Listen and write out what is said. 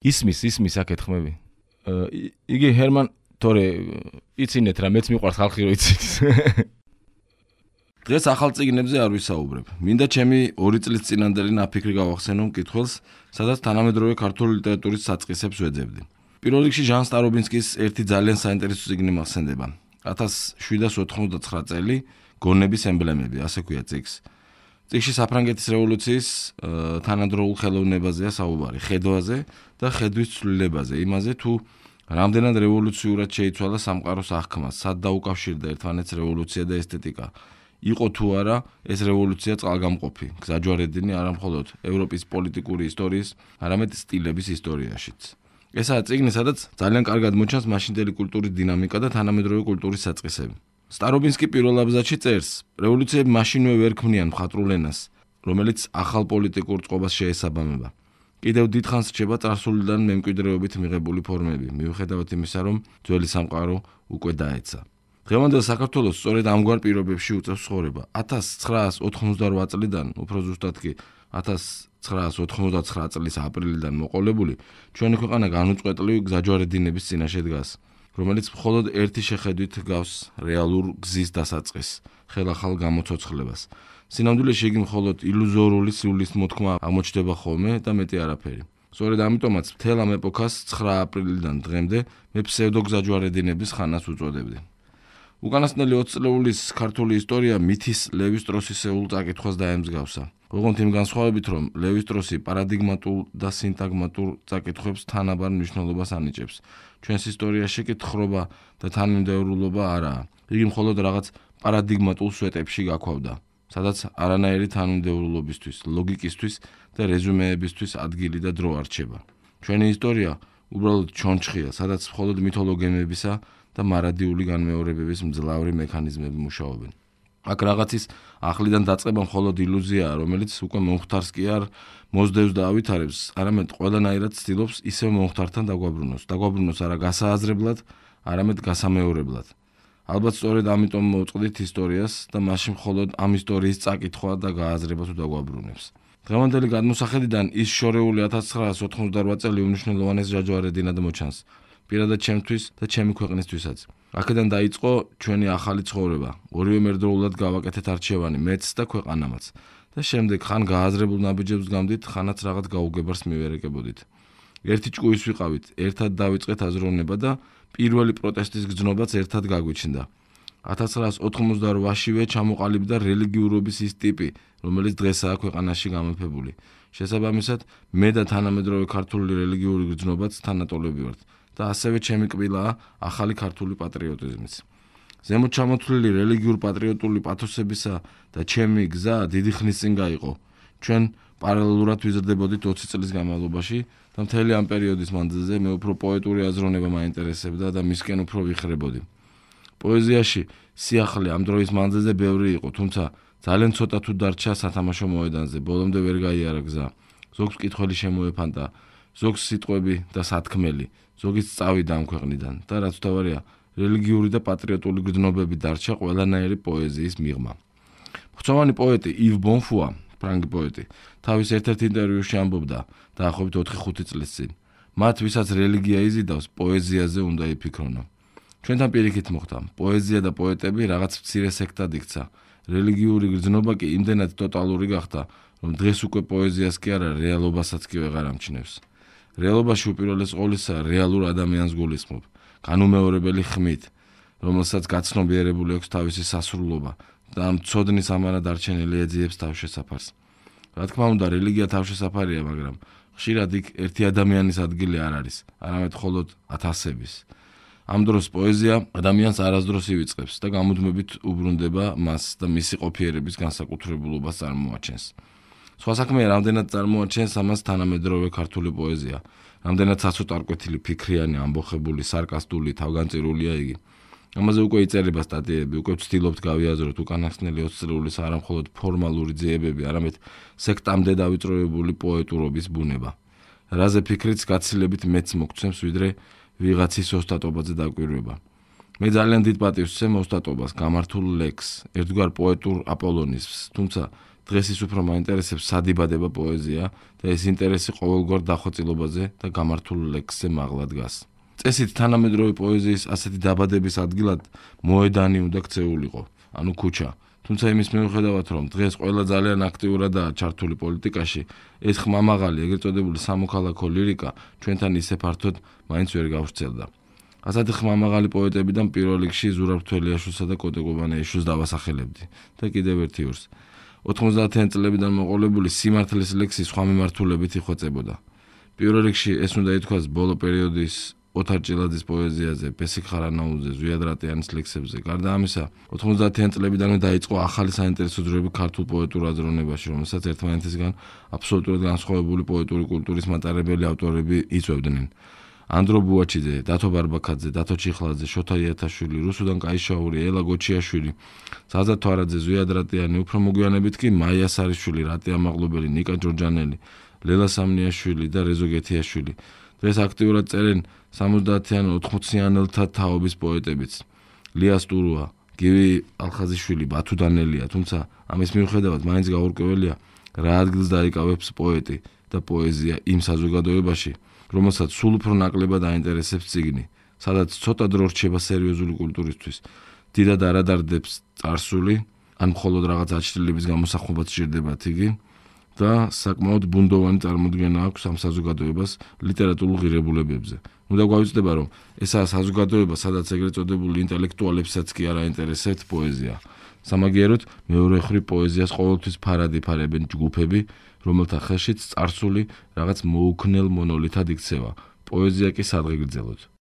ისმის აქ ეთქმები. იგი ჰერმან თორე იცინეთ რა მეც მიყვარს ხალხი რო იცის. დღეს ახალ წიგნებზე არ ვისაუბრებ. მინდა ჩემი 2 წლის წინანდელი ნაფიქრი გავახსენო მკითხველს, სადაც თანამედროვე ქართული ლიტერატურის საწყისებს ვეძებდი. პირველ რიგში ჟან სტარობინსკის ერთი ძალიან საინტერესო წიგნი მახსენდება. 1789 წელი გონების ემბლემები, ასე ქვია წიგნს. წიგნში საფრანგეთის რევოლუციის თანადროულ ხელოვნებაზეა საუბარი, ხედვაზე და ხედვის ცვლილებაზე, იმაზე თუ რამდენად რევოლუციურად შეიცვალა სამყაროს აღქმა, სად დაუკავშირდა ერთმანეთს რევოლუცია და ესთეტიკა. იყო თუ არა ეს რევოლუცია წყალგამყოფი, გზაჯვარედინი არა მხოლოდ ევროპის პოლიტიკური ისტორიის, არამედ სტილების ისტორიაშიც. ესაა წიგნი, სადაც ძალიან კარგად მოჩანს მაშინდელი კულტურის დინამიკა და თანამედროვე კულტურის საწყისები. სტარობინსკი პირველ აბზაცში წერს, რევოლუციები მაშინვე ვერ ქმნიან მხატვრულ ენას, რომელიც ახალ პოლიტიკურ წყობას შეესაბამება. კიდევ დიდხანს რჩება წარსულიდან მემკვიდრეობით მიღებული ფორმები, მიუხედავად იმისა, რომ ძველი სამყარო უკვე დაეცა. დღევანდელ საქართველოს სწორედ ამგვარ პირობებში უწევს ცხოვრება. 1988 წლიდან, უფრო ზუსტად კი 1989 წლის აპრილიდან მოყოლებული, ჩვენი ქვეყანა განუწყვეტლივ გზაჯვარედინების წინაშე დგას, რომელიც მხოლოდ ერთი შეხედვით გავს რეალურ გზის დასაწყისს, ხელახალ გამოცოცხლებას. სინამდვილეში იგი მხოლოდ ილუზორული სულის მოთქმა აღმოჩნდება ხოლმე და მეტი არაფერი. სწორედ ამიტომაც მთელ ამ ეპოქას 9 აპრილიდან დღემდე მე ფსევდოგზაჯვარედინების ხანას უწოდებდი. უკანასკნელი 20 წლეულის ქართული ისტორია მითის ლევი სტროსისეულ წაკითხვას დაემსგავსა. ოღონდ იმ განსხვავებით, რომ ლევი სტროსი პარადიგმატულ და სინტაგმატურ წაკითხვებს თანაბარ მნიშვნელობას ანიჭებს. ჩვენს ისტორიაში კი თხრობა და თანმიმდევრულობა არაა. იგი მხოლოდ რაღაც პარადიგმატულ სვეტებში გაქვავდა, სადაც არანაირი თანმიმდევრულობისთვის, ლოგიკისთვის და რეზუმეებისთვის ადგილი და დრო არ რჩება. ჩვენი ისტორია უბრალოდ ჩონჩხია, სადაც მხოლოდ მითოლოგემებისა და მარადიული განმეორებების მძლავრი მექანიზმები მუშაობენ. აქ რაღაცის ახლიდან დაწყება მხოლოდ ილუზიაა, რომელიც უკვე მომხდარს კი არ მოსდევს და ავითარებს, არამედ ყველანაირად ცდილობს ისევ მომხდართან დაგვაბრუნოს არა გასააზრებლად, არამედ გასამეორებლად. ალბათ სწორედ ამიტომ მოვწყდით ისტორიას და მაშინ მხოლოდ ამ ისტორიის წაკითხვა და გააზრება თუ დაგვაბრუნებს. დღევანდელი გადმოსახედიდან ის შორეული 1988 წელი უმნიშვნელოვანეს ჯაჯვარედინად მოჩანს. პირადად ჩემთვის და ჩემი ქვეყნისთვისაც. აქედან დაიწყო ჩვენი ახალი ცხოვრება. ორივე მერდროულად გავაკეთეთ არჩევანი, მეც და ქვეყანამაც. და შემდეგ ხან გააზრებულ ნაბიჯებს გამდით, ხანაც რაღაც გაუგებარს მივერეკებოდით. ერთი ჭკუის ვიყავით, ერთად დავიწყეთ აზროვნება და პირველი პროტესტის გრძნობაც ერთად გაგვიჩნდა. 1988-შივე ჩამოყალიბდა რელიგიურობის ის ტიპი, რომელიც დღესაა ქვეყანაში გამეფებული. შესაბამისად, მე და თანამედროვე ქართული რელიგიური გრძნობაც თანატოლები ვართ. და ასევე ჩემი კბილაა ახალი ქართული პატრიოტიზმიც. ზემოთ ჩამოთვლილი რელიგიურ პატრიოტული პათოსებისა და ჩემი გზა დიდი ხნის წინ გაიყო. ჩვენ პარალელურად ვიზრდებოდით 20 წლის განმავლობაში და მთელი ამ პერიოდის მანძილზე მე უფრო პოეტური აზროვნება მაინტერესებდა და მისკენ უფრო ვიხრებოდი. პოეზიაში სიახლე ამ დროის მანძილზე ბევრი იყო, თუმცა ძალიან ცოტა თუ დარჩა სათამაშო მოედანზე, ბოლომდე ვერ გაიარა გზა. ზოგს მკითხველი შემოეფანტა, ზოგს სიტყვები და სათქმელი, ზოგიც წავიდა ამ ქვეყნიდან და რაც თავარია, რელიგიური და პატრიოტული გრძნობები დარჩა ყველანაირი პოეზიის მიღმა. ღვთოვანი პოეტი ივ ბონფუა, ფრანგი პოეტი, თავის ერთ-ერთ ინტერვიუში ამბობდა დაახლოებით 4-5 წლის წინ. მათ, ვისაც რელიგია იზიდავს, პოეზიაზე უნდა იფიქრონო. ჩვენთან პირიქით მოხდა, პოეზია და პოეტები რაღაც მცირე სექტად იქცა. რელიგიური გრძნობა კი იმდენად ტოტალური გახდა, რომ დღეს უკვე პოეზიას კი არა, რეალობასაც კი ვეღარ ამჩნევს. რეალობაში უპირველეს ყოვლისა რეალურ ადამიანს გულისხმობ, განუმეორებელი ხმით, რომელსაც გაცნობიერებული აქვს თავისი სასრულობა და ამ ცოდნის ამანა დარჩენილი ეძიებს თავშესაფარს. რა თქმა უნდა, რელიგია თავშესაფარია, მაგრამ ხშირად იქ ერთი ადამიანის ადგილი არ არის, არამედ მხოლოდ ათასების. ამ დროს პოეზია ადამიანს არასდროს ივიწყებს და გამუდმებით უბრუნდება მას და მისი ყოფიერების განსაკუთრებულობას წარმოაჩენს. სხვა საქმეა, რამდენად წარმოაჩენს ამას თანამედროვე ქართული პოეზია, რამდენად საცოტარკვეთილი, ფიქრიანი, ამბოხებული, სარკასტული, თავგანწირულია იგი. ამაზე უკვე იწერება სტატიები, უკვე ვცდილობთ გავიაზროთ უკანასკნელი 20 წლეულის არა მხოლოდ ფორმალური ძიებები, არამედ სექტამდე დავიწროებული პოეტურობის ბუნება. რაზე ფიქრიც გაცილებით მეც მოგცემს, ვიდრე ვიღაცის ოსტატობაზე დაკვირვება. მე ძალიან დიდ პატივს ვცემ ოსტატობას, გამართულ ლექსს, ერთგვარ პოეტურ აპოლონიზმს, თუმცა დღეს ის უფრო მაინტერესებს სადიბადება პოეზია და ეს ინტერესი ყოველგვარ დახვეწილობაზე და გამართულ ლექსზე მაღლა დგას. წესით თანამედროვე პოეზიის ასეთი დაბადების ადგილად მოედანი უნდა ქცეულიყო, ანუ ქუჩა. თუმცა იმის მიუხედავად, რომ დღეს ყველა ძალიან აქტიურადაა ჩართული პოლიტიკაში, ეს ხმამაღალი, ეგრეთ წოდებული სამოქალაქო ლირიკა ჩვენთან ისე ფართოდ მაინც ვერ გავრცელდა. ასეთი ხმამაღალი პოეტებიდან პირველ რიგში ზურაბ თველიაშვილსა და კოტე ყუბანეიშვილს დავასახელებდი და კიდევ ერთი ორს. 90-იან წლებიდან მოყოლებული სიმართლის ლექსი სხვა მიმართულებით იხვეწებოდა. პირველ რიგში ეს უნდა ითქვას ბოლო პერიოდის ოთარ ჭილაძის პოეზიაზე, ბესიკ ხარანაუძე, ზვიად რატიანის ლექსებზე. გარდა ამისა, 90-იან წლებიდანვე დაიწყო ახალი საინტერესო ძროები ქართულ პოეტურ აზროვნებაში, რომელსაც ერთმანეთისგან აბსოლუტურად განსხვავებული პოეტური კულტურის მატარებელი ავტორები იწვევდნენ. ანდრო ბუაჩიძე, დათო ბარბაქაძე, დათო ჩიხლაძე, შოთა იათაშვილი, რუსუდან კაიშაური, ელა გოჩიაშვილი, ზაზა თვარაძე, ზვიად რატიანი, უფრო მოგვიანებით კი მაია სარიშვილი, რატი ამაღლობელი, ნიკა ჯორჯანელი, ლელა სამნიაშვილი და რეზო გეთიაშვილი. დღეს აქტიურად წერენ 70-იან 80-იანელთა თაობის პოეტებიც. ლია სტურუა, გივი ალხაზიშვილი, ბათუ დანელია, თუმცა ამის მიუხედავად მაინც გაურკვეველია რა ადგილს დაიკავებს პოეტი და პოეზია იმ საზოგადოებაში, რომელსაც სულ უფრო ნაკლებად აინტერესებს წიგნი, სადაც ცოტა დრო რჩება სერიოზული კულტურისთვის, დიდად არ ადარდებს წარსული, ან მხოლოდ რაღაც აჩრდილების გამოსახმობაც სჭირდებათ იგი და საკმაოდ ბუნდოვანი წარმოდგენა აქვს ამ საზოგადოებას ლიტერატურულ ღირებულებებზე. უნდა გვავიწყდება, რომ ესაა საზოგადოება, სადაც ეგრეთ წოდებული ინტელექტუალებსაც კი არ აინტერესებთ პოეზია. სამაგიეროდ, მეორე მხრივ პოეზიას ყოველთვის ფარად იფარებენ ჯგუფები, რომელთა ხელშიც წარსული რაღაც მოუქნელ მონოლითად იქცევა. პოეზია კი სადღეგრძელოდ.